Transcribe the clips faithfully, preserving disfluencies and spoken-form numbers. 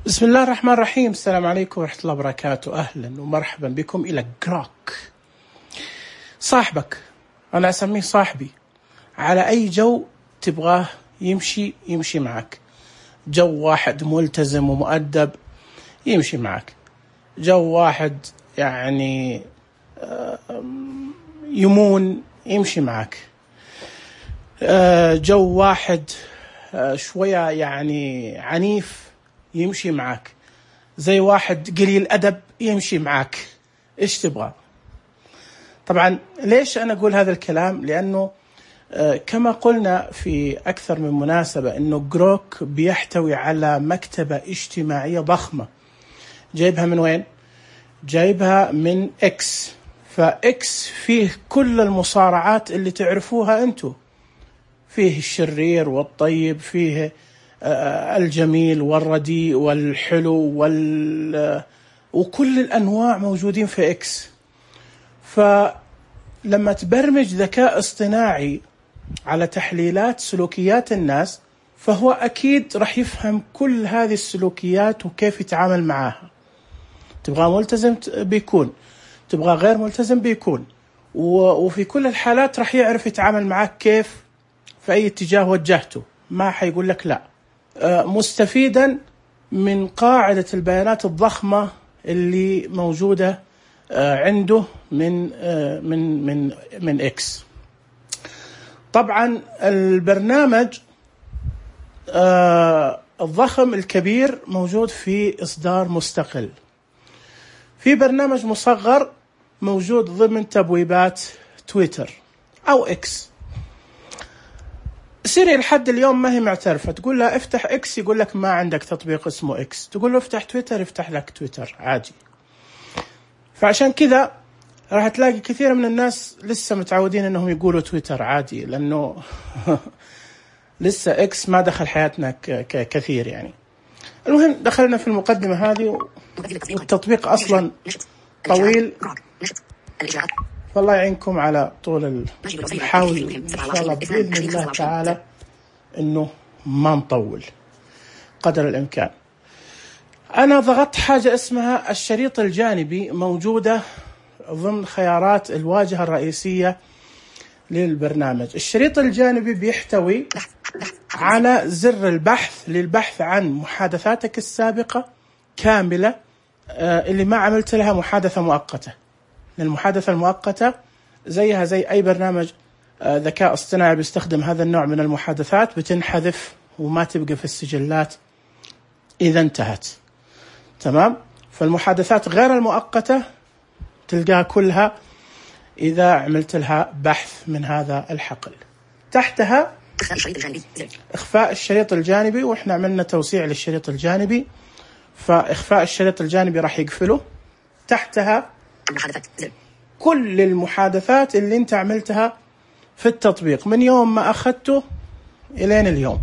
بسم الله الرحمن الرحيم. السلام عليكم ورحمة الله وبركاته. أهلا ومرحبا بكم إلى جروك. صاحبك، أنا أسميه صاحبي، على أي جو تبغاه يمشي يمشي معك. جو واحد ملتزم ومؤدب يمشي معك، جو واحد يعني يمون يمشي معك، جو واحد شوية يعني عنيف يمشي معك، زي واحد قليل أدب يمشي معك. إيش تبغى؟ طبعا ليش أنا أقول هذا الكلام؟ لأنه كما قلنا في أكثر من مناسبة أنه جروك بيحتوي على مكتبة اجتماعية ضخمة. جايبها من وين؟ جايبها من إكس. فإكس فيه كل المصارعات اللي تعرفوها أنتو، فيه الشرير والطيب، فيه الجميل والرديء والحلو وال... وكل الأنواع موجودين في إكس. فلما تبرمج ذكاء اصطناعي على تحليلات سلوكيات الناس، فهو أكيد رح يفهم كل هذه السلوكيات وكيف يتعامل معها. تبغى ملتزم بيكون، تبغى غير ملتزم بيكون، وفي كل الحالات رح يعرف يتعامل معك كيف في أي اتجاه وجهته، ما حيقول لك لا. مستفيدا من قاعدة البيانات الضخمة اللي موجودة عنده من من من من إكس. طبعا البرنامج الضخم الكبير موجود في إصدار مستقل، في برنامج مصغر موجود ضمن تبويبات تويتر أو إكس. سيري لحد اليوم ما هي معترفة، تقول له افتح إكس يقول لك ما عندك تطبيق اسمه إكس، تقول له افتح تويتر يفتح لك تويتر عادي. فعشان كذا راح تلاقي كثير من الناس لسه متعودين انهم يقولوا تويتر عادي، لانه لسه إكس ما دخل حياتنا كثير يعني. المهم دخلنا في المقدمة هذه، والتطبيق اصلا طويل، فالله يعينكم على طول. نحاول ان شاء الله باذن الله تعالى انه ما نطول قدر الامكان. انا ضغطت حاجة اسمها الشريط الجانبي، موجودة ضمن خيارات الواجهة الرئيسية للبرنامج. الشريط الجانبي بيحتوي على زر البحث للبحث عن محادثاتك السابقة كاملة، اللي ما عملت لها محادثة مؤقتة. المحادثة المؤقتة زيها زي أي برنامج ذكاء اصطناعي بيستخدم هذا النوع من المحادثات، بتنحذف وما تبقى في السجلات إذا انتهت. تمام؟ فالمحادثات غير المؤقتة تلقاها كلها إذا عملت لها بحث من هذا الحقل. تحتها إخفاء الشريط الجانبي، وإحنا عملنا توسيع للشريط الجانبي، فإخفاء الشريط الجانبي راح يقفله. تحتها كل المحادثات اللي انت عملتها في التطبيق من يوم ما أخذته إلين اليوم.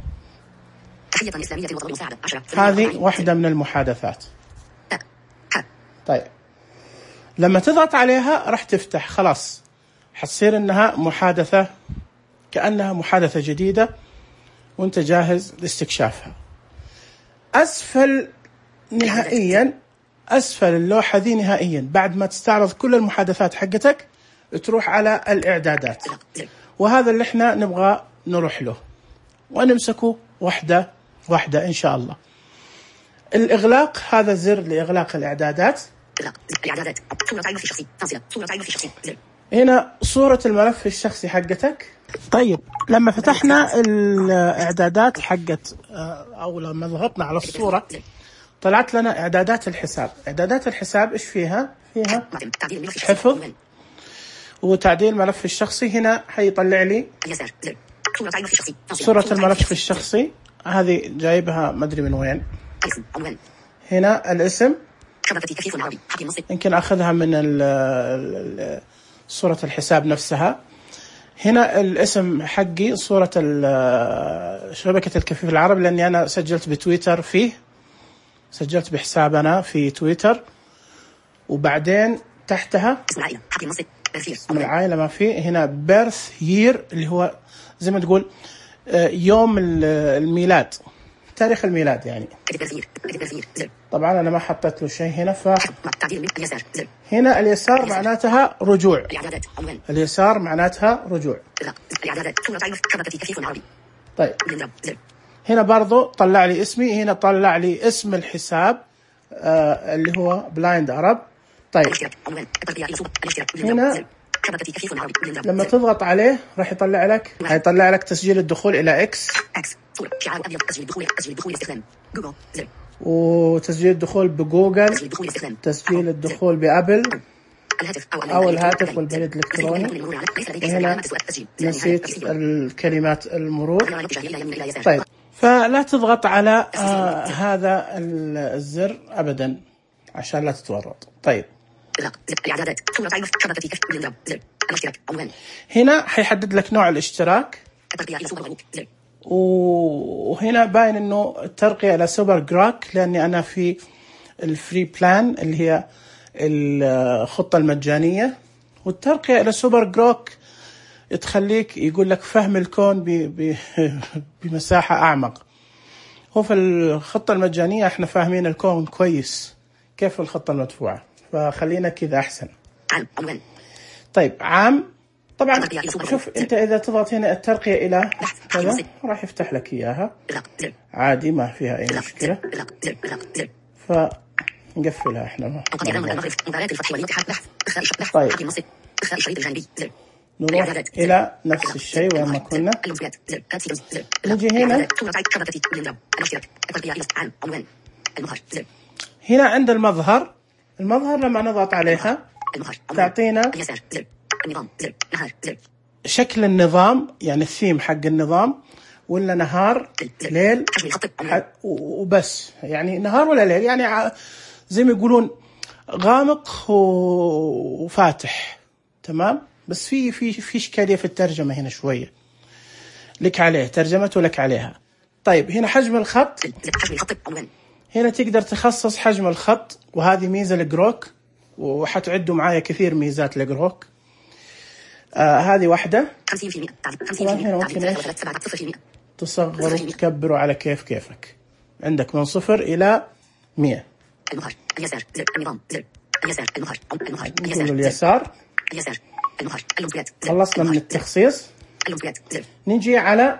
هذه واحدة من المحادثات. طيب لما تضغط عليها راح تفتح، خلاص حتصير انها محادثة، كأنها محادثة جديدة وانت جاهز لاستكشافها. أسفل نهائيا، أسفل اللوحة ذي نهائيا، بعد ما تستعرض كل المحادثات حقتك تروح على الإعدادات، وهذا اللي احنا نبغى نروح له ونمسكه واحدة واحدة إن شاء الله. الإغلاق، هذا زر لإغلاق الإعدادات. هنا صورة الملف الشخصي حقتك. طيب لما فتحنا الإعدادات حقت أو لما ضغطنا على الصورة طلعت لنا إعدادات الحساب. إعدادات الحساب إيش فيها؟ فيها حفظ وتعديل الملف الشخصي. هنا حيطلع لي صورة الملف الشخصي، هذه جايبها ما أدري من وين. هنا الاسم، يمكن أخذها من صورة الحساب نفسها. هنا الاسم حقي صورة شبكة الكفيف العربي، لأني أنا سجلت بتويتر فيه، سجلت بحسابنا في تويتر. وبعدين تحتها اسم العائلة ما فيه. هنا بيرث يير اللي هو زي ما تقول يوم الميلاد، تاريخ الميلاد يعني. طبعا أنا ما حطيت له شيء هنا، ف هنا اليسار معناتها رجوع، اليسار معناتها رجوع. طيب هنا برضو طلع لي اسمي، هنا طلع لي اسم الحساب آه اللي هو بلايند عرب. طيب هنا لما تضغط عليه راح يطلع لك هيطلع لك تسجيل الدخول إلى إكس، وتسجيل الدخول بجوجل، تسجيل الدخول بأبل أو الهاتف والبريد الإلكتروني. هنا نسيت الكلمات المرور. طيب فلا تضغط على آه هذا الزر أبدا عشان لا تتورط. طيب هنا حيحدد لك نوع الاشتراك، وهنا باين انه الترقية الى سوبر جروك لاني انا في الفري بلان اللي هي الخطة المجانية، والترقية الى سوبر جروك تخليك يقول لك فهم الكون بمساحة اعمق. هو في الخطة المجانية احنا فاهمين الكون كويس كيف الخطة المدفوعة، فخلينا كذا احسن. طيب عام، طبعا شوف انت اذا تضغط هنا الترقية الى كذا راح يفتح لك اياها عادي ما فيها اي مشكلة، فنقفلها احنا. طيب نروح الى نفس الشيء وين ما كنا، نجي هنا هنا عند المظهر. المظهر لما نضغط عليها تعطينا شكل النظام، يعني الثيم حق النظام، ولا نهار ليل وبس، يعني نهار ولا ليل، يعني زي ما يقولون غامق وفاتح. تمام، بس في في في اشكاليه في الترجمه هنا شويه، لك عليه ترجمته لك عليها. طيب هنا حجم الخط، هنا تقدر تخصص حجم الخط، وهذه ميزه لجروك، وحتعدوا معايا كثير ميزات لجروك. آه هذه واحدة. طبعا هنا ممكن ايش تصغروا وتكبروا على كيف كيفك، عندك من صفر إلى مئة. نقول اليسار. خلصنا من التخصيص، نجي على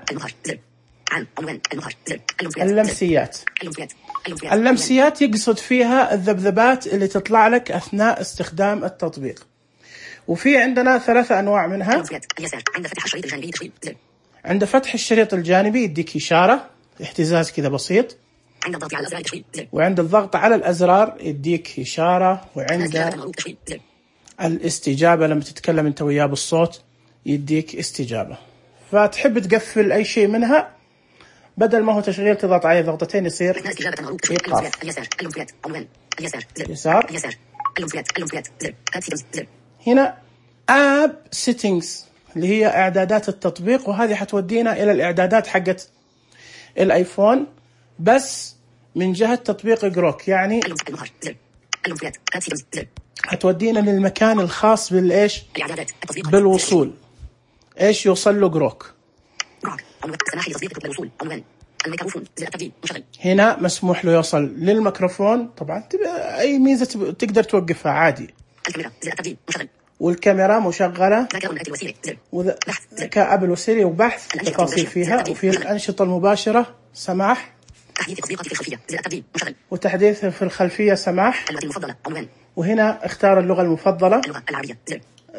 اللمسيات. اللمسيات يقصد فيها الذبذبات اللي تطلع لك أثناء استخدام التطبيق، وفي عندنا ثلاثة أنواع منها. عند فتح الشريط الجانبي يديك إشارة اهتزاز كذا بسيط، وعند الضغط على الأزرار يديك إشارة، وعند الاستجابة لما تتكلم أنت وياه بالصوت يديك استجابة. فتحب تقفل أي شيء منها، بدل ما هو تشغيل تضغط عليه ضغطتين يصير إيقاف. يسار. هنا App Settings اللي هي إعدادات التطبيق، وهذه حتودينا إلى الإعدادات حقت الآيفون بس من جهة تطبيق جروك، يعني حتودينا للمكان الخاص بالإيش بالوصول، إيش يوصل له جروك. هنا مسموح له يوصل للميكروفون، طبعا أي ميزة تقدر توقفها عادي، والكاميرا مشغلة، كأبل وسيري وبحث تفاصيل فيها، وفي الأنشطة المباشرة سماح، وتحديث في الخلفية سماح. وهنا اختار اللغة المفضلة،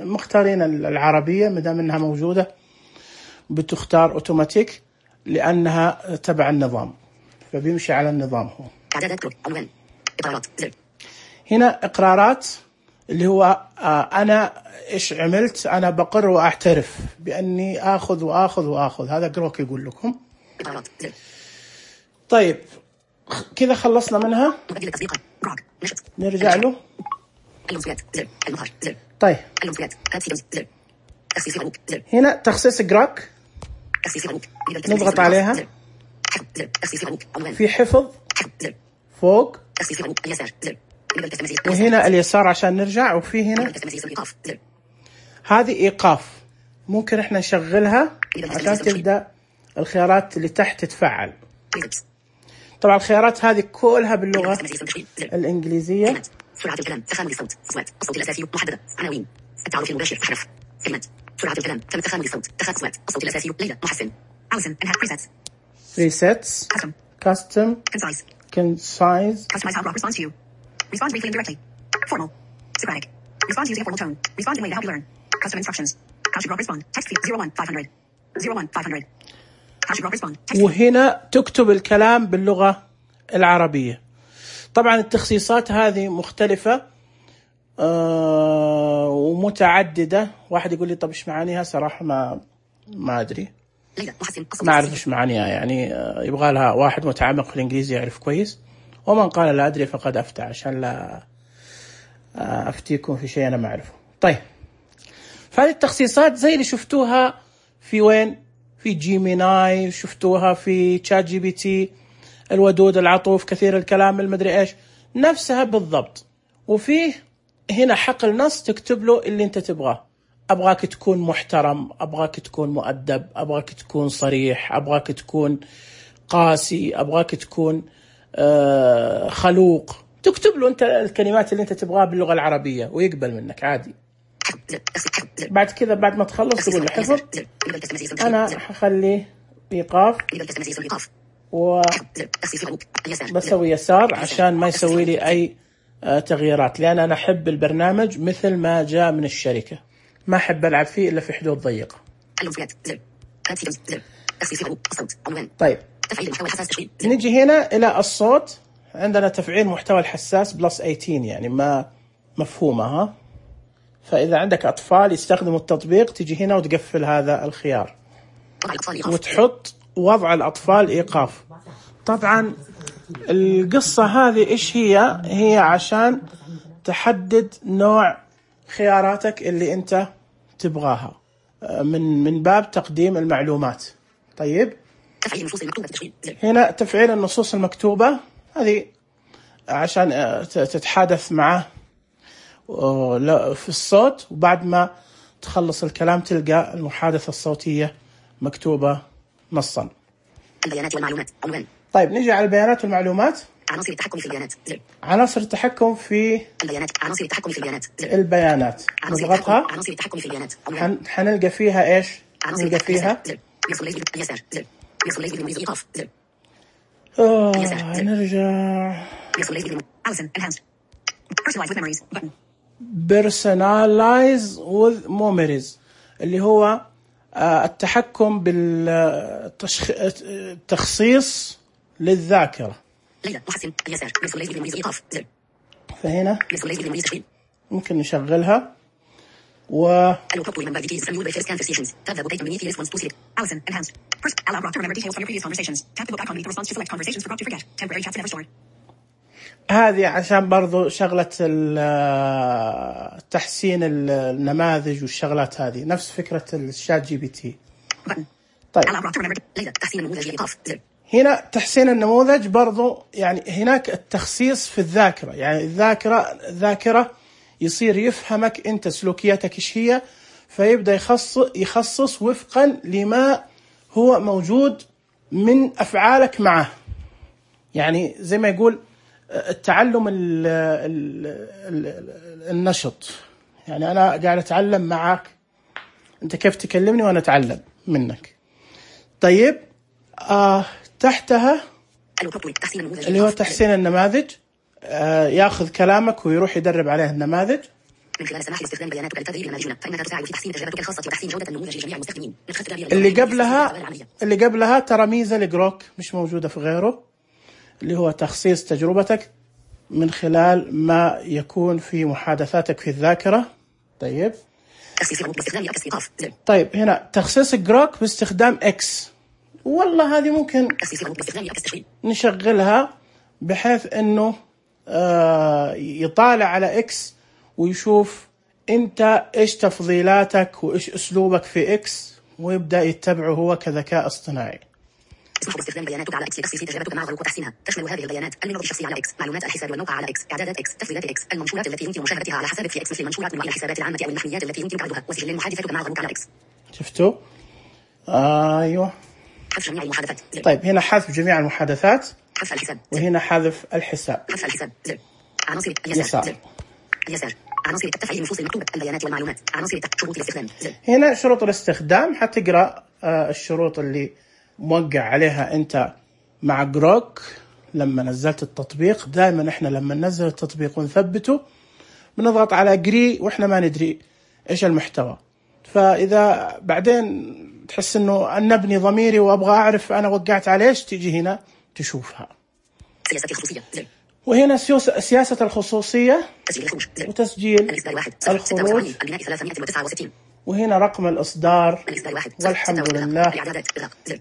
مختارين العربية مدام انها موجودة بتختار اوتوماتيك لأنها تبع النظام، فبيمشي على النظام هو. هنا إقرارات اللي هو آه أنا إيش عملت، أنا بقر وأعترف بأني آخذ وآخذ وآخذ، هذا جروك يقول لكم. طيب كذا خلصنا منها، نرجع له. طيب هنا تخصيص جروك، نضغط عليها، في حفظ فوق، وهنا اليسار عشان نرجع، وفي هنا هذه إيقاف، ممكن احنا نشغلها عشان تبدأ الخيارات اللي تحت تتفعل. طبعا الخيارات هذه كلها باللغة الإنجليزية. سرعة الكلام، تخامل الصوت، أصوات، الصوت الأساسي محددة، عناوين، التعارف المباشر، أحرف، كلمات، سرعة الكلام، تم تخامل الصوت، تخ أصوات، الصوت الأساسي، ليلى، محسن، عوسن، انها presets, presets, custom, custom, concise, concise, customize how Grok responds to you, respond briefly and directly, formal, Socratic, respond using a formal tone, respond in a way to help you learn, custom instructions, how should Grok respond, text field zero one five hundred, zero one five hundred, how should Grok respond, text وهنا تكتب الكلام باللغة العربية. طبعا التخصيصات هذه مختلفة آه ومتعددة. واحد يقول لي طب ايش معانيها؟ صراحة ما ما أدري، ما أعرف ايش معانيها. يعني آه يبغى لها واحد متعمق في الإنجليزي يعرف كويس، ومن قال لا أدري فقد أفتى، عشان لا آه أفتيكم في شيء أنا ما أعرفه. طيب، فهذه التخصيصات زي اللي شفتوها في وين؟ في جيميناي، شفتوها في تشات جي بي تي، الودود، العطوف، كثير الكلام، المدري ايش، نفسها بالضبط. وفيه هنا حقل نص تكتب له اللي انت تبغاه. ابغاك تكون محترم، ابغاك تكون مؤدب، ابغاك تكون صريح، ابغاك تكون قاسي، ابغاك تكون آه خلوق. تكتب له انت الكلمات اللي انت تبغاها باللغة العربية ويقبل منك عادي. بعد كذا بعد ما تخلص تقول له حفظ. انا حخليه ايقاف وبسوي يسار عشان ما يسوي لي أي تغييرات، لأن أنا أحب البرنامج مثل ما جاء من الشركة، ما أحب ألعب فيه إلا في حدود ضيقة. طيب، نجي هنا إلى الصوت. عندنا تفعيل محتوى الحساس بلس ثمانية عشر، يعني ما مفهومة ها. فإذا عندك أطفال يستخدموا التطبيق تجي هنا وتقفل هذا الخيار وتحط وضع الأطفال إيقاف. طبعا القصة هذه إيش هي؟ هي عشان تحدد نوع خياراتك اللي أنت تبغاها من من باب تقديم المعلومات. طيب، هنا تفعيل النصوص المكتوبة، هذه عشان تتحادث معه في الصوت، وبعد ما تخلص الكلام تلقى المحادثة الصوتية مكتوبة نصا. البيانات والمعلومات عنوان. طيب، نيجي على البيانات والمعلومات. عناصر التحكم في البيانات. عناصر التحكم في البيانات. عناصر التحكم في البيانات. البيانات. نضغطها. عناصر التحكم في البيانات. حن... حنلقى فيها ايش؟ نلقى فيها اليسار. ايقاف. اوه نرجع. Personalize with memories اللي هو التحكم بالتخصيص للذاكرة. فهنا ممكن نشغلها و هذه عشان برضو شغلة تحسين النماذج والشغلات هذه، نفس فكرة الشات جي بي تي. طيب، هنا تحسين النموذج برضو، يعني هناك التخصيص في الذاكرة، يعني الذاكرة ذاكرة يصير يفهمك أنت سلوكياتك إيش هي، فيبدأ يخصص يخصص وفقا لما هو موجود من أفعالك معه. يعني زي ما يقول التعلم ال ال ال النشط، يعني أنا قاعد أتعلم معك، أنت كيف تكلمني وأنا أتعلم منك. طيب، آه تحتها اللي هو تحسين النماذج، آه ياخذ كلامك ويروح يدرب عليه النماذج. من خلال السماح باستخدام بياناتك للتدريب المالجونة، فإنها تساعد في تحسين تجربتك الخاصة وتحسين جودة النموذج لجميع المستخدمين. اللي قبلها اللي قبلها ترى ميزة لجروك مش موجودة في غيره، اللي هو تخصيص تجربتك من خلال ما يكون في محادثاتك في الذاكرة. طيب، طيب هنا تخصيص جروك باستخدام اكس. والله هذه ممكن نشغلها بحيث انه آه يطالع على اكس ويشوف انت ايش تفضيلاتك وايش اسلوبك في اكس، ويبدأ يتبعه هو كذكاء اصطناعي. تسمح باستخدام بياناتك على اكس لتخصيص تجربتك مع غلق وتحسينها. تشمل هذه البيانات المنوط الشخصي على اكس، معلومات الحساب والموقع على اكس، اعدادات اكس، تفضيلات اكس، المنشورات التي يمكن مشاهدتها على حسابك في اكس، مثل المنشورات من الحسابات العامة او المحميات التي يمكن عرضها، وسجل محادثتك مع غلق على اكس. شفتوا؟ آه ايوه. حذف جميع المحادثات. طيب، هنا حذف جميع المحادثات. حذف الحساب وهنا حذف الحساب. حذف الحساب زر. عناصر اليسار زر. اليسار عناصر تفعيل نصوص المكتوبة البيانات والمعلومات. عناصر شروط الاستخدام زر. هنا شروط الاستخدام حتقرأ الشروط اللي موقع عليها أنت مع جروك لما نزلت التطبيق. دائما احنا لما ننزل التطبيق ونثبته بنضغط على جري واحنا ما ندري ايش المحتوى، فاذا بعدين تحس انه انبني ضميري وابغى اعرف انا وقعت على ايش، تيجي هنا تشوفها. سياسة الخصوصية زر. وهنا سياسة الخصوصية تسجيل الخروج زر. وتسجيل الخروج، وهنا رقم الإصدار. والحمد لله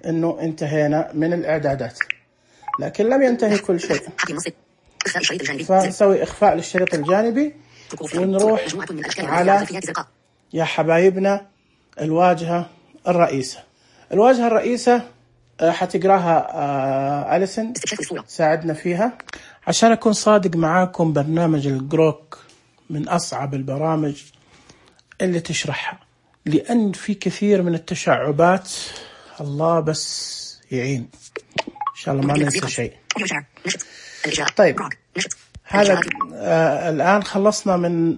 انه انتهينا من الاعدادات، لكن لم ينتهي كل شيء. فنسوي إخفاء للشريط الجانبي ونروح على يا حبايبنا الواجهة الرئيسة. الواجهة الرئيسة حتقراها أليسن، ساعدنا فيها. عشان أكون صادق معاكم، برنامج الجروك من أصعب البرامج اللي تشرحها، لأن في كثير من التشعبات. الله بس يعين، إن شاء الله ما ننسى شيء. طيب هذا آه الآن خلصنا من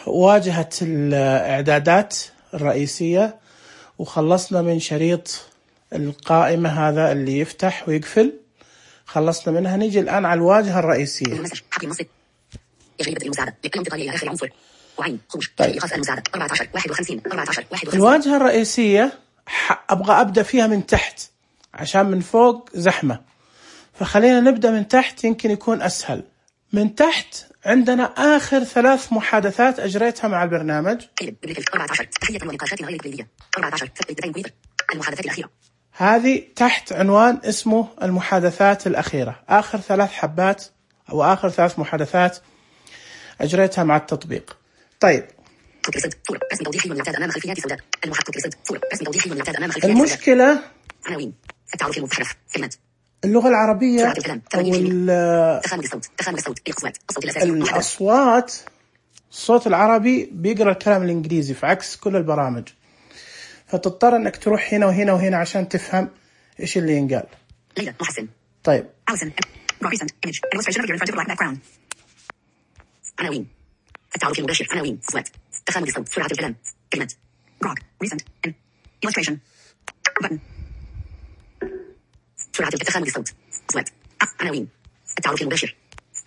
واجهة الإعدادات الرئيسية، وخلصنا من شريط القائمة هذا اللي يفتح ويقفل، خلصنا منها. نيجي الآن على الواجهة الرئيسية. طيب. الواجهة الرئيسية أبغى أبدأ فيها من تحت عشان من فوق زحمة، فخلينا نبدأ من تحت يمكن يكون أسهل. من تحت عندنا آخر ثلاث محادثات أجريتها مع البرنامج. هذه تحت عنوان اسمه المحادثات الأخيرة، آخر ثلاث حبات أو آخر ثلاث محادثات أجريتها مع التطبيق. طيب المشكلة اللغة العربية أو الأصوات، الصوت العربي بيقرأ الكلام الإنجليزي في عكس كل البرامج، فتضطر أنك تروح هنا وهنا وهنا عشان تفهم إيش اللي ينقال. طيب عناوين التعارف المباشر. عناوين صوت تخانق الصوت سرعة الكلام كلمات روك ريسنت illustration button سرعة تخانق الصوت صوت عناوين التعارف المباشر.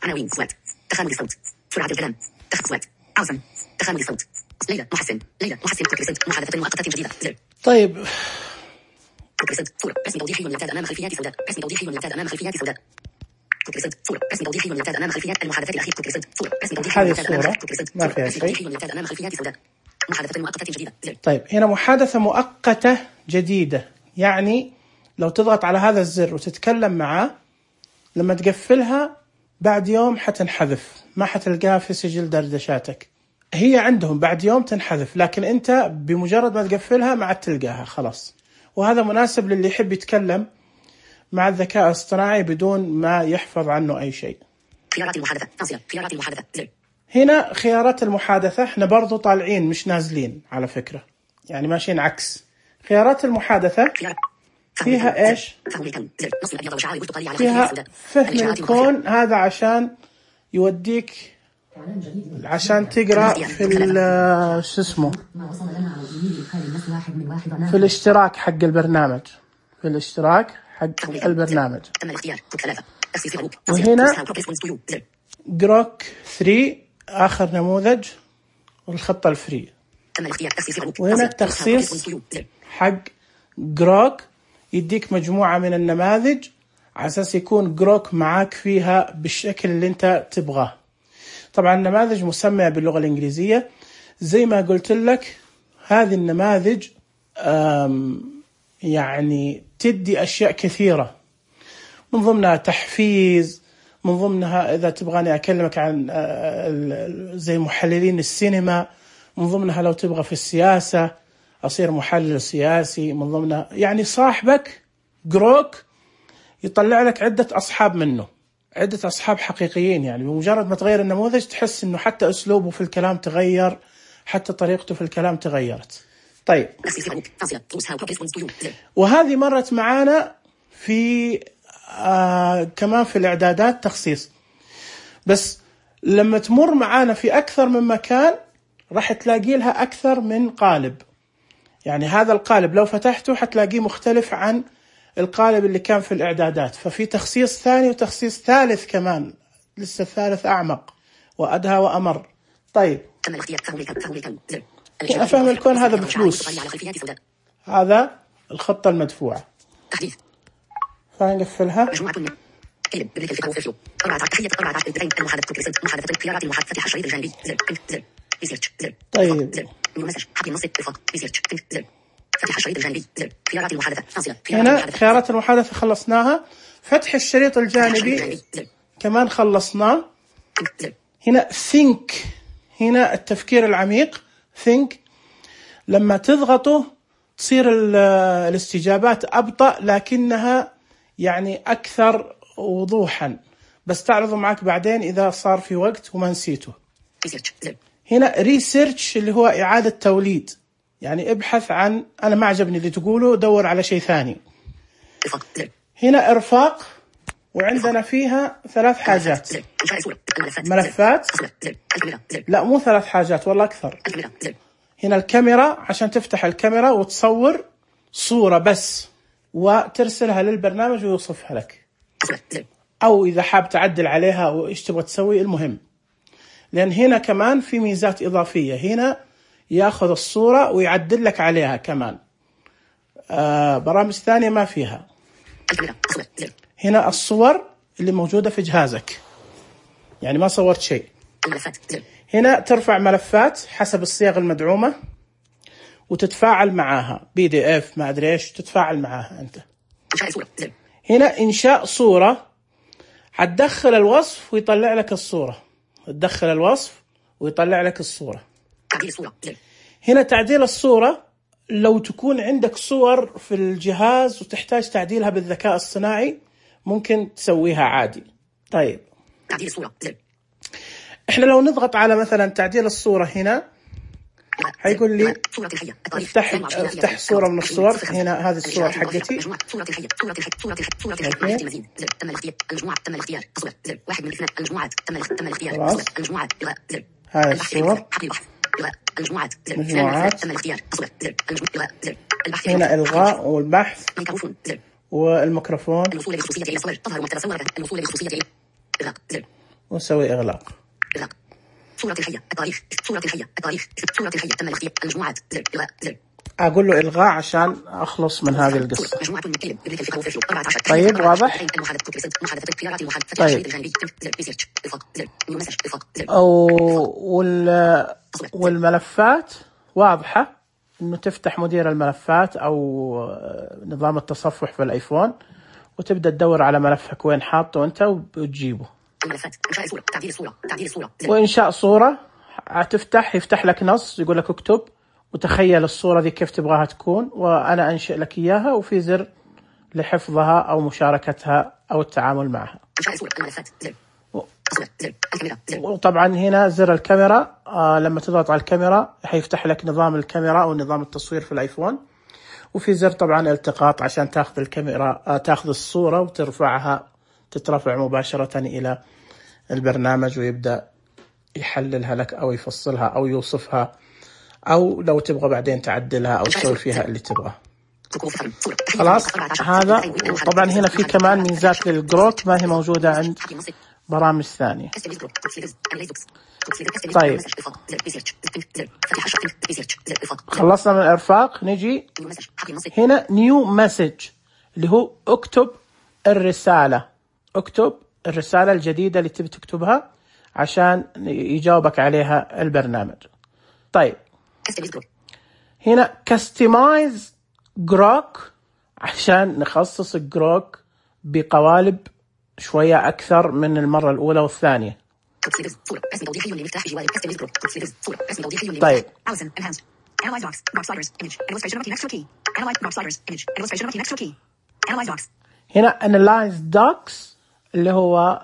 عناوين صوت تخانق الصوت سرعة الكلام تخ صوت عاوزن تخانق الصوت. ليلى محسن ليلى محسن كوكريسنت محادثة مؤقتة جديدة زر. طيب كوكريسنت صورة رسم توضيحي يعتاد أمام خلفيات سوداء. رسم توضيحي يعتاد أمام خلفيات سوداء. كوكريسنت صورة رسم توضيحي يعتاد أمام خلفيات المحادثات الأخيرة. كوكريسنت صورة رسم توضيحي يعتاد أمام كوكريسنت ما فيها شيء. يعتاد أمام خلفيات سوداء. محادثة مؤقتة جديدة زر. طيب هنا محادثة مؤقتة جديدة، يعني لو تضغط على هذا الزر وتتكلم معاه لما تقفلها بعد يوم حتنحذف، ما حتلقاها في سجل دردشاتك. هي عندهم بعد يوم تنحذف، لكن أنت بمجرد ما تقفلها ما عاد تلقاها خلاص. وهذا مناسب للي يحب يتكلم مع الذكاء الاصطناعي بدون ما يحفظ عنه أي شيء. خيارات المحادثة تنصير خيارات المحادثة زر. هنا خيارات المحادثة، احنا برضو طالعين مش نازلين على فكرة، يعني ماشيين عكس. خيارات المحادثة فيها ايش؟ فيها فهم الكون، هذا عشان يوديك عشان تقرأ في شو اسمه في الاشتراك حق البرنامج، في الاشتراك حق البرنامج. وهنا جروك ثري آخر نموذج والخطة الفري. وهنا التخصيص حق جروك يديك مجموعة من النماذج على أساس يكون جروك معاك فيها بالشكل اللي انت تبغاه. طبعا النماذج مسمية باللغة الإنجليزية زي ما قلت لك. هذه النماذج يعني تدي أشياء كثيرة، من ضمنها تحفيز، من ضمنها إذا تبغاني أكلمك عن زي محللين السينما، من ضمنها لو تبغى في السياسة أصير محلل سياسي، من ضمنها يعني صاحبك جروك يطلع لك عدة أصحاب منه، عدة أصحاب حقيقيين. يعني بمجرد ما تغير النموذج تحس إنه حتى أسلوبه في الكلام تغير، حتى طريقته في الكلام تغيرت. طيب وهذه مرت معانا في آه كمان في الإعدادات تخصيص، بس لما تمر معانا في أكثر من مكان راح تلاقي لها أكثر من قالب. يعني هذا القالب لو فتحته حتلاقيه مختلف عن القالب اللي كان في الإعدادات، ففي تخصيص ثاني وتخصيص ثالث كمان، لسه الثالث أعمق وأدهى وأمر. طيب أنا فهم الكون هذا بفلوس، هذا الخطة المدفوعة، فنقفلها. طيب هنا خيارات المحادثة خلصناها. فتح الشريط الجانبي كمان خلصناه. هنا think، هنا التفكير العميق think، لما تضغطه تصير الاستجابات أبطأ لكنها يعني أكثر وضوحا، بس تعرضه معك بعدين إذا صار في وقت وما نسيته. هنا research اللي هو إعادة توليد، يعني ابحث عن أنا ما عجبني اللي تقوله دور على شيء ثاني. هنا إرفاق، وعندنا فيها ثلاث حاجات، ملفات، لا مو ثلاث حاجات والله أكثر. هنا الكاميرا عشان تفتح الكاميرا وتصور صورة بس وترسلها للبرنامج ويوصفها لك، أو إذا حاب تعدل عليها وإيش تبغى تسوي، المهم. لأن هنا كمان في ميزات إضافية، هنا يأخذ الصورة ويعدل لك عليها كمان. آه برامج ثانية ما فيها. هنا الصور اللي موجودة في جهازك، يعني ما صورت شيء. هنا ترفع ملفات حسب الصيغ المدعومة وتتفاعل معاها، بي دي اف ما أدري إيش، تتفاعل معاها أنت. هنا إنشاء صورة، هتدخل الوصف ويطلع لك الصورة، تدخل الوصف ويطلع لك الصورة. هنا تعديل الصورة، لو تكون عندك صور في الجهاز وتحتاج تعديلها بالذكاء الصناعي ممكن تسويها عادي. طيب تعديل الصورة، احنا لو نضغط على مثلا تعديل الصورة هنا هيقول لي افتح افتح صورة من الصور. هنا هذه الصور حقتي. هاي الصور مجموعات. هنا إلغاء والبحث والميكروفون، وسوي إغلاق. صورة الحية، التاريخ، صورة الحية، التاريخ، صورة الحية، تم الاختيار، المجموعات، أقول له إلغاء عشان أخلص من هذه القصة. طيب واضح؟ طيب أو وال والملفات واضحة، إنه تفتح مدير الملفات أو نظام التصفح في الآيفون وتبدأ تدور على ملفك وين حاطه أنت وتجيبه. وإنشاء صورة، هتفتح يفتح لك نص يقول لك اكتب وتخيل الصورة دي كيف تبغاها تكون، وأنا أنشئ لك إياها، وفي زر لحفظها أو مشاركتها أو التعامل معها. وطبعا هنا زر الكاميرا، آه لما تضغط على الكاميرا حيفتح لك نظام الكاميرا أو نظام التصوير في الآيفون، وفي زر طبعا التقاط عشان تاخذ الكاميرا آه تاخذ الصورة وترفعها، تترفع مباشرة إلى البرنامج ويبدأ يحللها لك أو يفصلها أو يوصفها، أو لو تبغى بعدين تعدلها أو تسوي فيها اللي تبغاه. خلاص هذا. طبعا هنا في كمان ميزات للجروك ما هي موجودة عند برامج ثانية. طيب خلصنا من الإرفاق، نجي هنا نيو مسج اللي هو اكتب الرسالة، اكتب الرسالة الجديدة اللي تبي تكتبها عشان يجاوبك عليها البرنامج. طيب هنا customize جروك عشان نخصص جروك بقوالب شوية أكثر من المرة الأولى والثانية. طيب هنا analyze docs اللي هو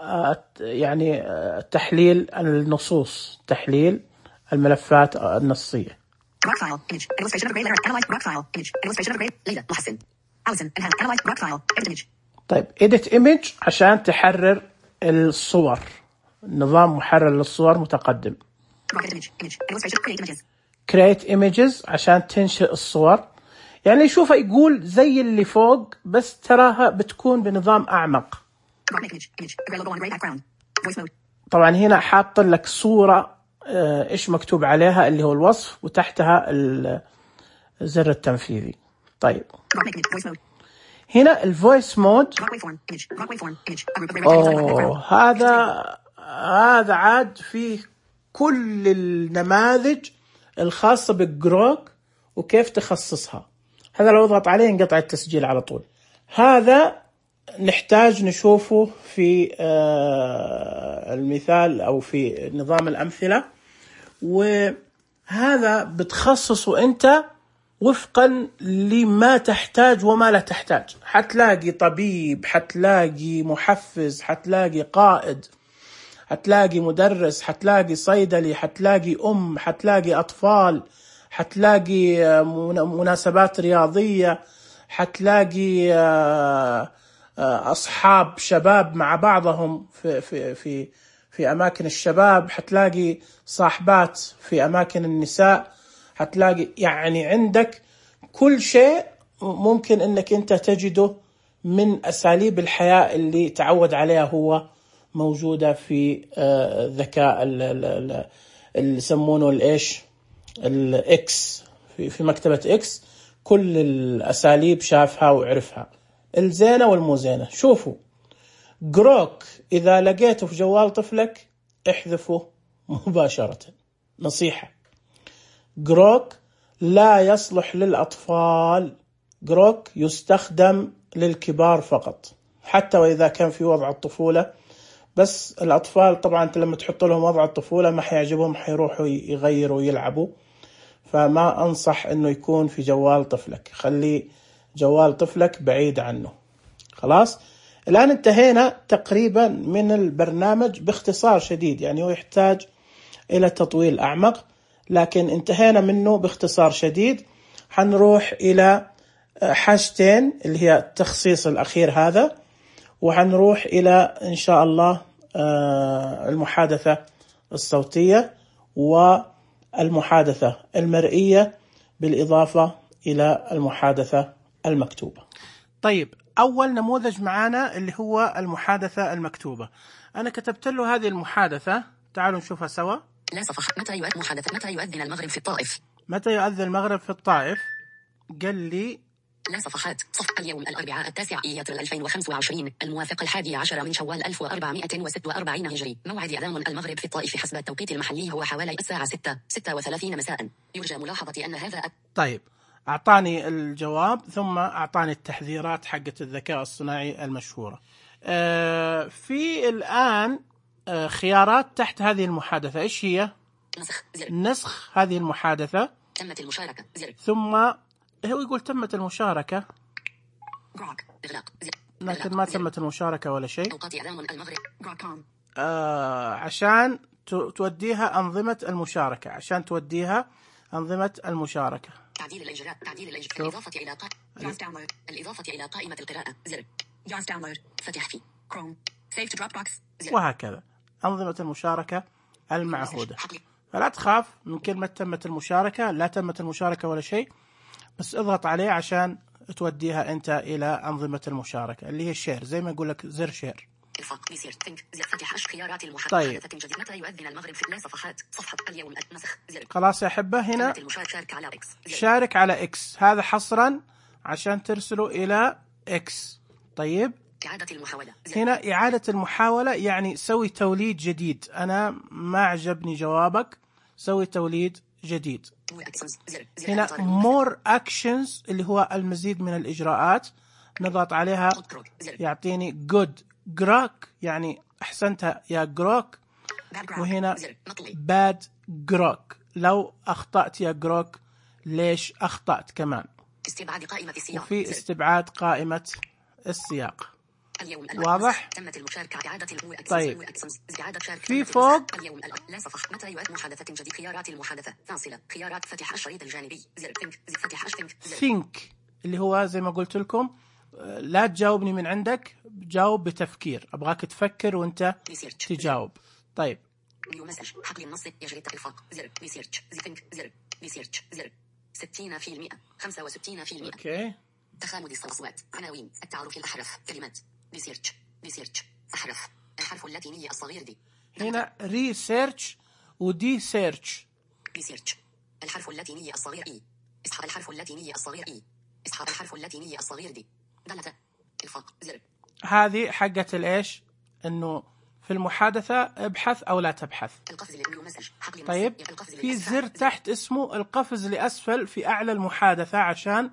يعني تحليل النصوص، تحليل الملفات النصية. Rock file, image, illustration of a gray letter, analyze rock file, image, illustration of a gray, ليلى محسن. Allison, analyze rock file, edit image. طيب edit image عشان تحرر الصور، نظام محرر للصور متقدم. create images عشان تنشئ الصور، يعني شوفها يقول زي اللي فوق بس تراها بتكون بنظام أعمق. طبعا هنا حاط لك صورة إيش مكتوب عليها اللي هو الوصف، وتحتها الزر التنفيذي. طيب هنا الفويس مود. أوه هذا هذا عاد فيه كل النماذج الخاصة بالجروك وكيف تخصصها. هذا لو اضغط عليه ينقطع التسجيل على طول. هذا نحتاج نشوفه في المثال أو في نظام الأمثلة، وهذا بتخصصه أنت وفقا لما تحتاج وما لا تحتاج. حتلاقي طبيب، حتلاقي محفز، حتلاقي قائد، حتلاقي مدرس، حتلاقي صيدلي، حتلاقي أم، حتلاقي أطفال، حتلاقي مناسبات رياضية، حتلاقي أصحاب شباب مع بعضهم في في في في أماكن الشباب، حتلاقي صاحبات في أماكن النساء، حتلاقي يعني عندك كل شيء ممكن إنك أنت تجده من أساليب الحياة اللي تعود عليها هو موجودة في الذكاء اللي يسمونه الإيش الإكس في في مكتبة إكس. كل الأساليب شافها وعرفها، الزينة والمو زينة. شوفوا جروك إذا لقيته في جوال طفلك احذفه مباشرة. نصيحة، جروك لا يصلح للأطفال، جروك يستخدم للكبار فقط، حتى وإذا كان في وضع الطفولة. بس الأطفال طبعا أنت لما تحط لهم وضع الطفولة ما حيعجبهم، حيروحوا يغيروا ويلعبوا، فما أنصح أنه يكون في جوال طفلك. خلي جوال طفلك بعيد عنه. خلاص الآن انتهينا تقريبا من البرنامج باختصار شديد، يعني هو يحتاج إلى تطويل أعمق، لكن انتهينا منه باختصار شديد. حنروح إلى حاجتين اللي هي التخصيص الأخير هذا، وحنروح إلى إن شاء الله المحادثة الصوتية والمحادثة المرئية بالإضافة إلى المحادثة المكتوبة. طيب أول نموذج معنا اللي هو المحادثة المكتوبة. أنا كتبت له هذه المحادثة، تعالوا نشوفها سوا. لا صفحة. متى يؤذن محادثة متى يؤذن المغرب في الطائف؟ متى يؤذن المغرب في الطائف؟ قال لي لا صفحات. صفحة اليوم الأربعاء التاسع إيار ألفين وخمسة وعشرين الموافق الحادي عشر من شوال ألف وأربعمائة وستة وأربعين هجري. موعد أذان المغرب في الطائف حسب التوقيت المحلي هو حوالي الساعة ستة ستة وثلاثين مساء. يرجى ملاحظة أن هذا أ... طيب أعطاني الجواب ثم أعطاني التحذيرات حقة الذكاء الصناعي المشهورة. آه في الآن آه خيارات تحت هذه المحادثة. إيش هي؟ نسخ زر. نسخ هذه المحادثة. تمت المشاركة زر. ثم هو يقول تمت المشاركة، لكن ما تمت المشاركة ولا شيء. أوقات إعلام المغرب. آه عشان توديها أنظمة المشاركة، عشان توديها أنظمة المشاركة. تعديل الإجراء. تعديل الإجراء. الإضافة إلى قائمة. الإضافة إلى قائمة القراءة زر. جاز داونلود. فتح في كروم. سيف تو دروب بوكس. وهكذا أنظمة المشاركة المعهودة. فلا تخاف من كلمة تمت المشاركة، لا تمت المشاركة ولا شيء، بس اضغط عليه عشان توديها أنت إلى أنظمة المشاركة اللي هي الشير، زي ما يقول لك زر شير. خيارات المحادثة. طيب متى يؤذن المغرب في لا صفحات. صفحة اليوم نسخ زر. خلاص يا أحبة، هنا شارك على إكس. شارك على إكس، هذا حصرا عشان ترسله إلى إكس. طيب إعادة المحاولة. هنا إعادة المحاولة، يعني سوي توليد جديد. أنا ما عجبني جوابك، سوي توليد جديد. هنا more actions اللي هو المزيد من الإجراءات، نضغط عليها يعطيني good جروك يعني أحسنتها يا جروك، وهنا bad جروك لو أخطأت يا جروك ليش أخطأت كمان. استبعاد قائمة السياق. وفي استبعاد قائمة السياق. اليوم واضح؟ تمت المشاركة. إعادة المو طيب إعادة شارك في فوق اليوم لا صفحة. متى يؤذن محادثة جديد. خيارات المحادثة فاصلة. خيارات فتح الشريط الجانبي زر. think فتح think think اللي هو زي ما قلت لكم لا تجاوبني من عندك، جاوب بتفكير، أبغاك تفكر وأنت تجاوب. طيب نيو مسج حقل النص يجري التخفيق زر ريسيرش زيتنك زر ريسيرش زر ستين في المئة خمسة وستين في المئة اوكي. تخامد الأصوات عناوين التعارف الأحرف كلمات ريسيرش ريسيرش أحرف الحرف اللاتيني الصغير دي هنا ريسيرش ودي سيرش. ريسيرش الحرف اللاتيني الصغير اي اسحب الحرف اللاتيني الصغير اي اسحب الحرف اللاتيني الصغير دي دلتا الفاق زر. هذه حقة الإيش؟ إنه في المحادثة ابحث أو لا تبحث. القفز للنيو مسج حقل طيب في زر تحت اسمه القفز لأسفل في أعلى المحادثة عشان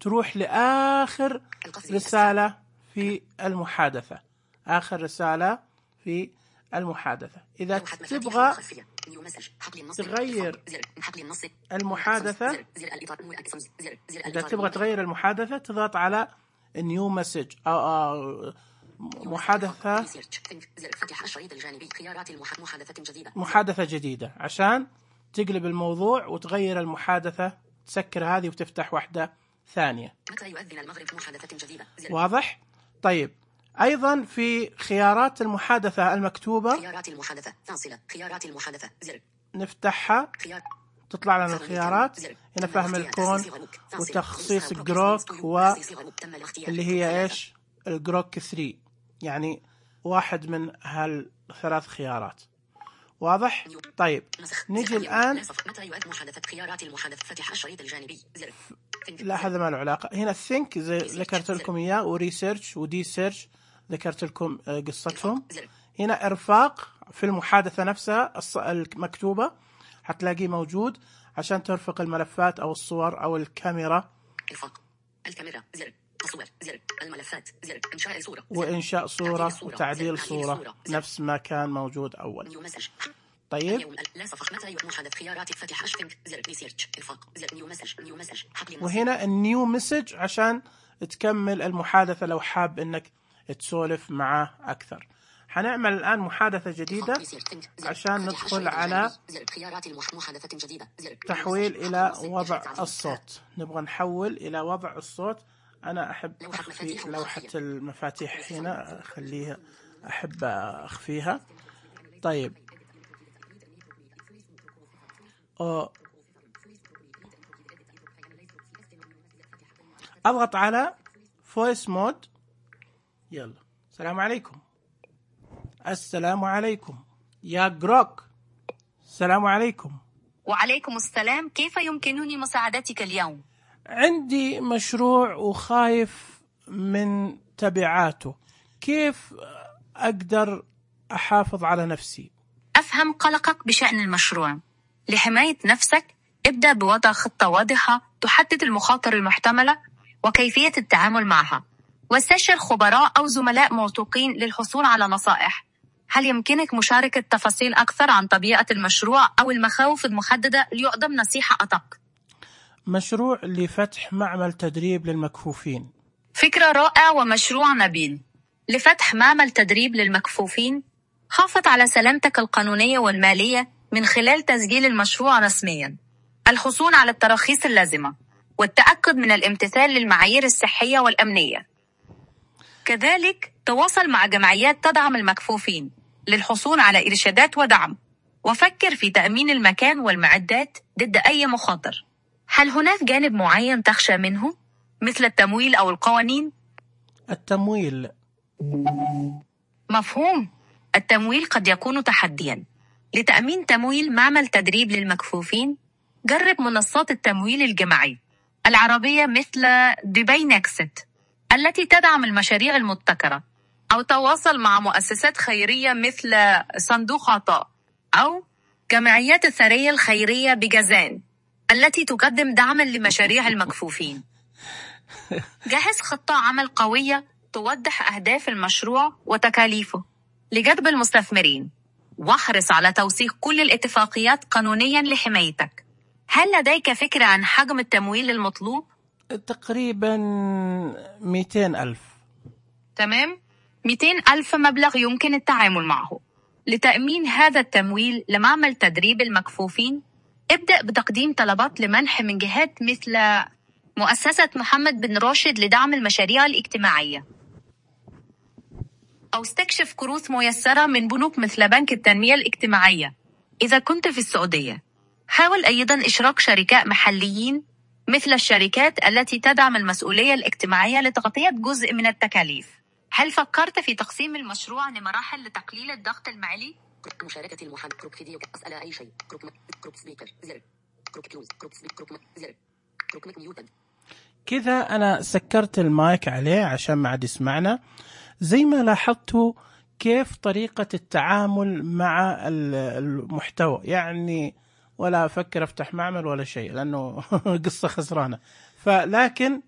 تروح لآخر رسالة في المحادثة، آخر رسالة في المحادثة. إذا تبغى تغير المحادثة، إذا تبغى تغير المحادثة تضغط على نيو مسج أو محادثة محادثة جديدة عشان تقلب الموضوع وتغير المحادثة، تسكر هذه وتفتح واحدة ثانية. متى يؤذن المغرب محادثة جديدة؟ واضح؟ طيب أيضا في خيارات المحادثة المكتوبة، خيارات المحادثة فاصلة خيارات المحادثة زر نفتحها خيار تطلع لنا الخيارات. هنا فهم الكون وتخصيص جروك واللي هي إيش؟ الجروك ثلاثة، يعني واحد من هالثلاث خيارات. واضح؟ طيب نجي الآن. متى يؤذن محادثة خيارات المحادثة فتح الشريط الجانبي زر. لا هذا ما له علاقة. هنا think زي ذكرت لكم إياه، وريسيرش ودي سيرش ذكرت لكم قصتهم. هنا إرفاق في المحادثة نفسها المكتوبة حتلاقيه موجود عشان ترفق الملفات أو الصور أو الكاميرا. إرفاق الكاميرا زر الصور زر الملفات زر إنشاء صورة وإنشاء صورة وتعديل صورة نفس ما كان موجود أول. طيب لا صفحة متى يؤذن محادثة خيارات فتح أشفنك زر ريسيرش إرفاق زر نيو مسج نيو مسج وهنا النيو مسج عشان تكمل المحادثة لو حاب إنك تسولف معه أكثر. حنعمل الآن محادثة جديدة عشان ندخل على تحويل إلى وضع الصوت. نبغى نحول إلى وضع الصوت. أنا أحب أخفي لوحة المفاتيح هنا، أخليها أحب أخفيها. طيب أو أضغط على فويس مود. يلا السلام عليكم. السلام عليكم يا جروك. السلام عليكم. وعليكم السلام، كيف يمكنني مساعدتك اليوم؟ عندي مشروع وخايف من تبعاته، كيف أقدر أحافظ على نفسي؟ أفهم قلقك بشأن المشروع. لحماية نفسك ابدأ بوضع خطة واضحة تحدد المخاطر المحتملة وكيفية التعامل معها، واستشر خبراء أو زملاء موثوقين للحصول على نصائح. هل يمكنك مشاركة تفاصيل أكثر عن طبيعة المشروع أو المخاوف المحددة ليقدم نصيحة أدق؟ مشروع لفتح معمل تدريب للمكفوفين. فكرة رائعة ومشروع نبيل. لفتح معمل تدريب للمكفوفين حافظ على سلامتك القانونية والمالية من خلال تسجيل المشروع رسميا، الحصول على التراخيص اللازمة، والتأكد من الامتثال للمعايير الصحية والأمنية. كذلك تواصل مع جمعيات تدعم المكفوفين للحصول على إرشادات ودعم، وفكر في تأمين المكان والمعدات ضد أي مخاطر. هل هناك جانب معين تخشى منه مثل التمويل أو القوانين؟ التمويل. مفهوم. التمويل قد يكون تحدياً. لتأمين تمويل معمل تدريب للمكفوفين جرب منصات التمويل الجماعي العربية مثل دبي نكست التي تدعم المشاريع المبتكرة، أو تواصل مع مؤسسات خيرية مثل صندوق عطاء أو جمعيات الثرية الخيرية بجازان التي تقدم دعما لمشاريع المكفوفين. جهز خطة عمل قوية توضح أهداف المشروع وتكاليفه لجذب المستثمرين، واحرص على توثيق كل الاتفاقيات قانونيا لحمايتك. هل لديك فكرة عن حجم التمويل المطلوب؟ تقريبا مئتين ألف. تمام، مئتين ألف مبلغ يمكن التعامل معه. لتأمين هذا التمويل لمعمل تدريب المكفوفين ابدأ بتقديم طلبات لمنح من جهات مثل مؤسسة محمد بن راشد لدعم المشاريع الاجتماعية. أو استكشف كروت ميسرة من بنوك مثل بنك التنمية الاجتماعية. إذا كنت في السعودية، حاول أيضا إشراك شركاء محليين مثل الشركات التي تدعم المسؤولية الاجتماعية لتغطية جزء من التكاليف. هل فكرت في تقسيم المشروع لمراحل لتقليل الضغط المالي؟ مشاركة المحادثة. كروك فيديو. أسأل أي شيء. كروك م... كروك سبيكر. زر. كروك كلوز. كروك سبيك. كروك م... زر. كروك ميك ميوتد. كذا أنا سكرت المايك عليه عشان ما عاد يسمعنا. زي ما لاحظتوا كيف طريقة التعامل مع المحتوى، يعني ولا أفكر أفتح معمل ولا شيء لأنه قصة خسرانة. فلكن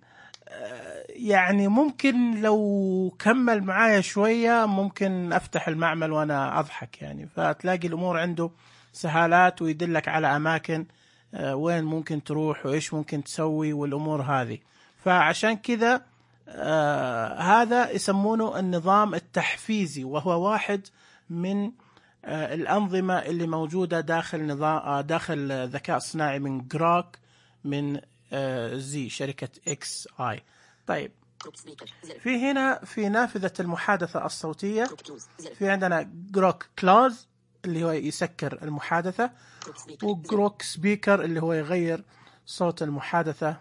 يعني ممكن لو كمل معايا شوية ممكن أفتح المعمل وأنا أضحك يعني. فتلاقي الأمور عنده سهالات ويدلك على أماكن وين ممكن تروح وإيش ممكن تسوي والأمور هذه. فعشان كذا آه هذا يسمونه النظام التحفيزي، وهو واحد من آه الأنظمة اللي موجودة داخل نظام آه داخل ذكاء صناعي من جروك من آه زي شركة إكس آي. طيب في هنا في نافذة المحادثة الصوتية في عندنا جروك كلوز اللي هو يسكر المحادثة، وجروك سبيكر اللي هو يغير صوت المحادثة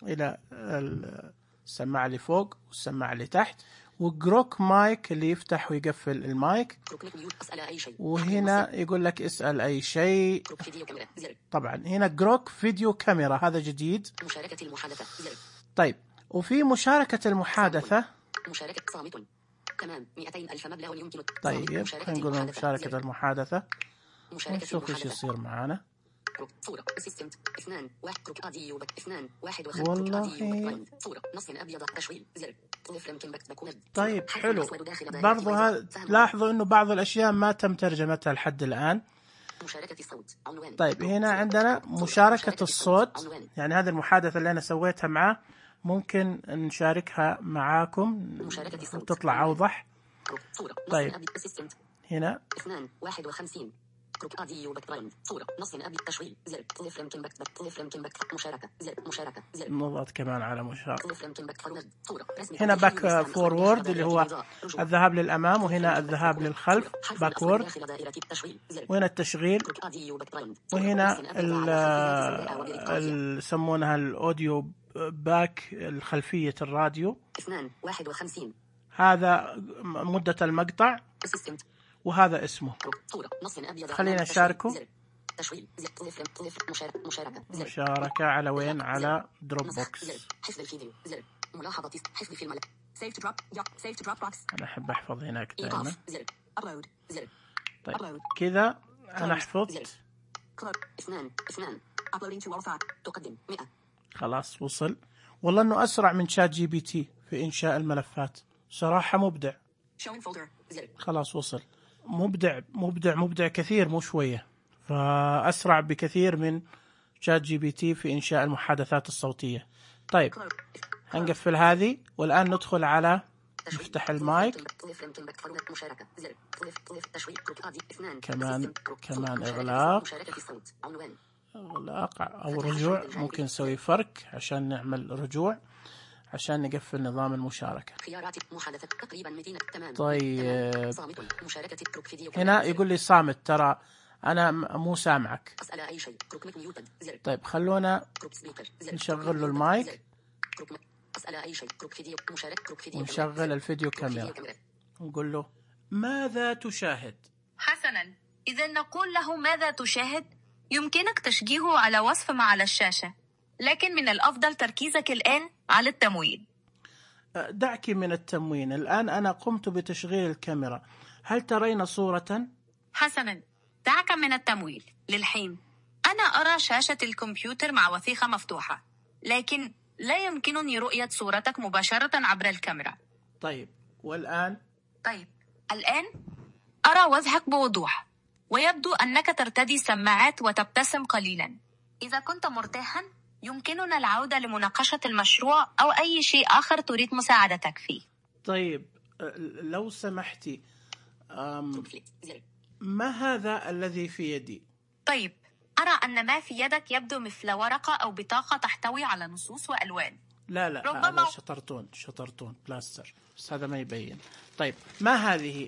إلى السماعة اللي فوق والسماعة اللي تحت، وجروك مايك اللي يفتح ويقفل المايك. وهنا يقول لك اسأل أي شيء. طبعا هنا جروك فيديو كاميرا، هذا جديد. مشاركة المحادثة. طيب وفي مشاركة المحادثة. مشاركة صامت. تمام. مئتين ألف مبلغ يمكن. طيب خلينا نقول مشاركة المحادثة ونشوف ايش يصير معانا. صورة اسيستنت اثنان واحد كروك اديو بك اثنان واحد وخمسة والله. صورة نص ابيض تشويل زر طلف يمكن بك بكون. طيب حلو. برضو هذا لاحظوا انه بعض الاشياء ما تم ترجمتها لحد الان. مشاركة الصوت. عنوان. طيب هنا عندنا مشاركة الصوت، يعني هذه المحادثة اللي انا سويتها معاه ممكن نشاركها معاكم وتطلع اوضح. طيب هنا اثنان واحد وخمسين كروك اديو بك برايم. صورة نص ابي تشويل زر طلف يمكن بك طلف يمكن بك مشاركة زر مشاركة زر نضغط كمان على مشاركة. طلف يمكن بك فرد. صورة هنا باك فورورد اللي هو الذهاب للأمام، وهنا الذهاب للخلف باكورد، وهنا التشغيل، وهنا ال يسمونها الأوديو باك الخلفية الراديو. اثنان واحد وخمسين هذا مدة المقطع وهذا اسمه. خلينا نشاركه. مشاركة على وين؟ على دروب بوكس. ملاحظة حفظ في الملف. أنا أحب أحفظ هناك دائما. طيب كذا أنا حفظت. اثنان اثنان تقدم مئة. خلاص وصل. والله إنه أسرع من شات جي بي تي في إنشاء الملفات، صراحة مبدع. خلاص وصل. مبدع مبدع مبدع كثير، مو شوية، فأسرع بكثير من شات جي بي تي في إنشاء المحادثات الصوتية. طيب هنقفل هذه والآن ندخل على نفتح المايك. كمان كمان إغلاق إغلاق أو رجوع، ممكن نسوي فرق عشان نعمل رجوع عشان نقفل نظام المشاركة. طيب هنا يقول لي صامت، ترى أنا مو سامعك. طيب خلونا نشغل له المايك ونشغل الفيديو كاميرا ونقول له ماذا تشاهد؟ حسنا، إذا نقول له ماذا تشاهد يمكنك تشجيعه على وصف ما على الشاشة، لكن من الأفضل تركيزك الآن على التموين. دعك من التموين، الآن أنا قمت بتشغيل الكاميرا، هل ترين صورة؟ حسنا، دعك من التمويل للحين. أنا أرى شاشة الكمبيوتر مع وثيقة مفتوحة، لكن لا يمكنني رؤية صورتك مباشرة عبر الكاميرا. طيب والآن؟ طيب الآن أرى وجهك بوضوح، ويبدو أنك ترتدي سماعات وتبتسم قليلا. إذا كنت مرتاحا يمكننا العودة لمناقشة المشروع أو أي شيء آخر تريد مساعدتك فيه. طيب لو سمحتي، ما هذا الذي في يدي؟ طيب أرى أن ما في يدك يبدو مثل ورقة أو بطاقة تحتوي على نصوص وألوان. لا لا ربما هذا شطرتون شطرتون بلاستر، بس هذا ما يبين. طيب ما هذه؟